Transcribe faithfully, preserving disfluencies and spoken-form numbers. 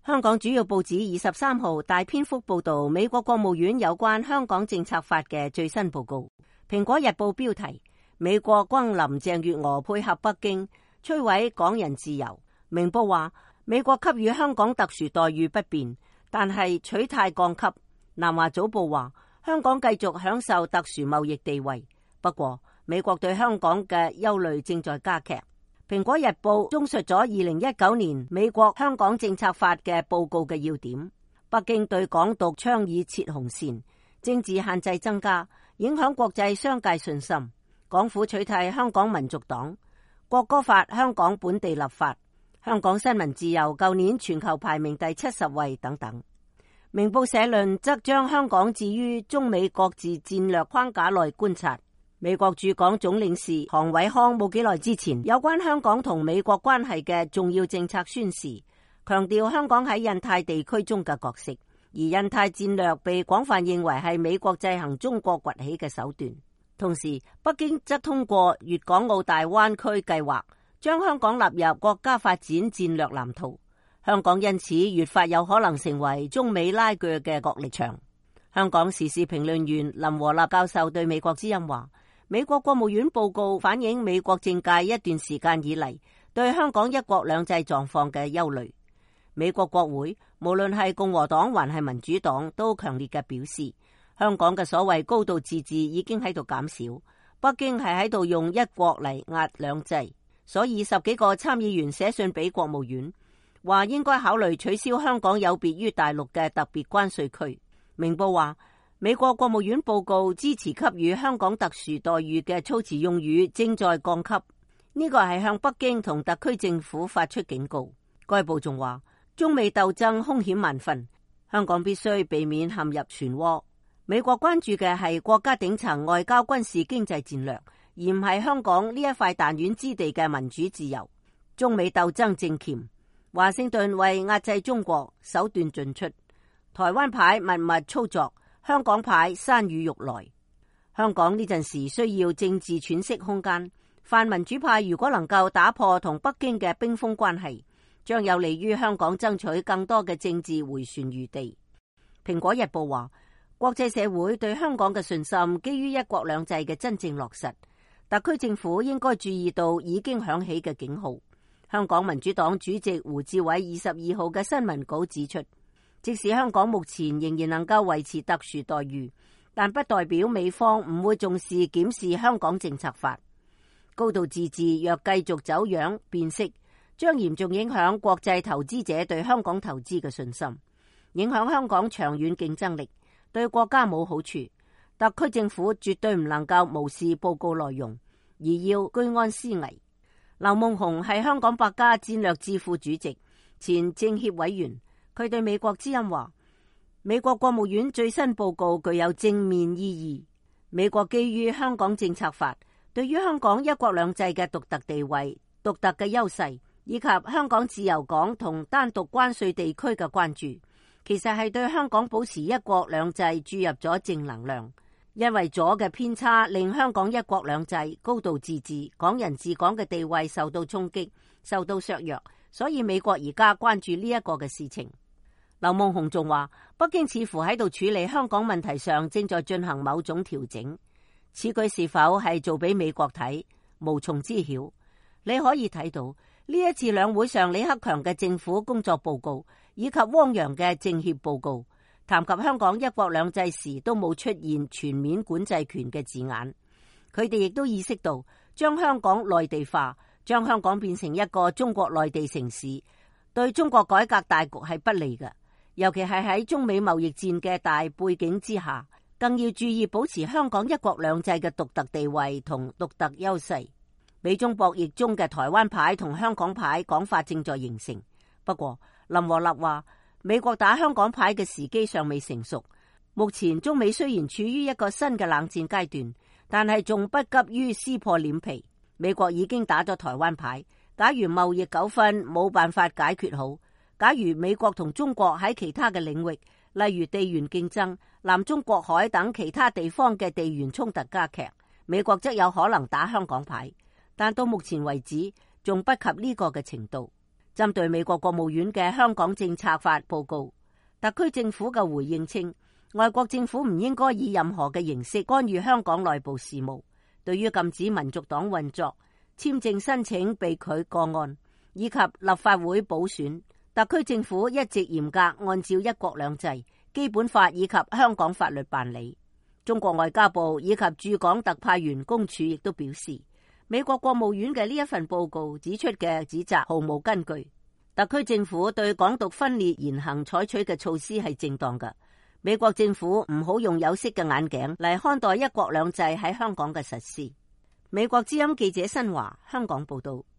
香港主要報紙二十三號大篇幅報道美國國務院有關香港政策法嘅最新報告。蘋果日報標題：美國轟林鄭月娥配合北京摧毀港人自由。明報話美國給予香港特殊待遇不變，但係取態降級。南華早報話香港繼續享受特殊貿易地位，不過美國對香港嘅憂慮正在加劇。蘋果日報綜述咗二零一九年美國香港政策法嘅報告嘅要點。北京對港獨倡議設紅線，政治限制增加，影響國際商界信心。港府取締香港民族黨，國歌法香港本地立法，香港新聞自由舊年全球排名第七十位等等。明報社論則將香港置於中美各自戰略框架內觀察。美國駐港總領事韓偉康冇幾耐之前有關香港同美國關係嘅重要政策宣示，強調香港喺印太地區中嘅角色，而印太戰略被廣泛認為係美國制衡中國崛起嘅手段。同時，北京則通過粵港澳大灣區計劃，將香港納入國家發展戰略藍圖。香港因此越發有可能成為中美拉鋸嘅角力場。香港時事評論員林和立教授對美國之音話：美國國務院報告反映美國政界一段時間以嚟對香港一國兩制狀況嘅憂慮。美國國會無論係共和黨還係民主黨都強烈嘅表示，香港嘅所謂高度自治已經喺度減少，北京係喺度用一國嚟壓兩制。所以十幾個參議員寫信俾國務院，話應該考慮取消香港有別於大陸嘅特別關稅區。明報話美國國務院報告支持給予香港特殊待遇嘅措辭用語正在降級，呢個係向北京同特區政府發出警告。該報仲話中美鬥爭兇險萬分，香港必須避免陷入漩渦。美國關注嘅係國家頂層外交軍事經濟戰略，而唔係香港呢一塊彈丸之地嘅民主自由。中美鬥爭正鉗，華盛頓為壓制中國手段盡出，台灣牌密密操作，香港牌山雨欲來。香港呢陣時需要政治喘息空間，泛民主派如果能夠打破同北京嘅冰封關係，將有利於香港爭取更多嘅政治回旋餘地。蘋果日報話國際社會對香港嘅信心基於一國兩制嘅真正落實，特區政府應該注意到已經響起嘅警號。香港民主黨主席胡志偉二十二號嘅新聞稿指出，即使香港目前仍然能夠維持特殊待遇，但不代表美方唔會重視檢視香港政策法。高度自治若繼續走樣變色，將嚴重影響國際投資者對香港投資嘅信心，影響香港長遠競爭力，對國家冇好處。特區政府絕對唔能夠無視報告內容，而要居安思危。劉夢熊係香港百家戰略智庫主席、前政協委員，佢對美國之音話：美國國務院最新報告具有正面意義。美國基於香港政策法，對於香港一國兩制嘅獨特地位、獨特嘅優勢，以及香港自由港同單獨關稅地區嘅關注，其實係對香港保持一國兩制注入咗正能量。因為左嘅偏差令香港一國兩制、高度自治、港人治港嘅地位受到衝擊、受到削弱，所以美國而家關注呢一個嘅事情。劉夢熊仲話，北京似乎喺度處理香港問題上正在進行某種調整，此舉是否係做俾美國睇，無從知曉。你可以睇到呢一次兩會上李克強嘅政府工作報告以及汪洋嘅政協報告，談及香港一國兩制時都冇出現全面管制權嘅字眼。佢哋亦都意識到將香港內地化，將香港變成一個中國內地城市，對中國改革大局係不利嘅。尤其係喺中美貿易戰嘅大背景之下，更要注意保持香港一國兩制嘅獨特地位同獨特優勢。美中博弈中嘅台灣牌同香港牌講法正在形成。不過林和立話，美國打香港牌嘅時機尚未成熟。目前中美雖然處於一個新嘅冷戰階段，但係仲不急於撕破臉皮。美國已經打咗台灣牌，假如貿易糾紛冇辦法解決好，假如美國同中國喺其他嘅領域，例如地緣競爭、南中國海等其他地方嘅地緣衝突加劇，美國則有可能打香港牌。但到目前為止仲不及呢個嘅程度。針對美國國務院嘅香港政策法報告，特區政府嘅回應稱，外國政府唔應該以任何嘅形式干預香港內部事務。對於禁止民族黨運作、簽證申請被拒個案以及立法會補選，特區政府一直嚴格按照一國兩制、基本法以及香港法律辦理。中國外交部以及駐港特派員公署亦都表示，美國國務院嘅呢一份報告指出嘅指責毫無根據，特區政府對港獨分裂言行採取嘅措施係正當嘅。美國政府唔好用有色嘅眼鏡嚟看待一國兩制喺香港嘅實施。美國之音記者新華香港報道。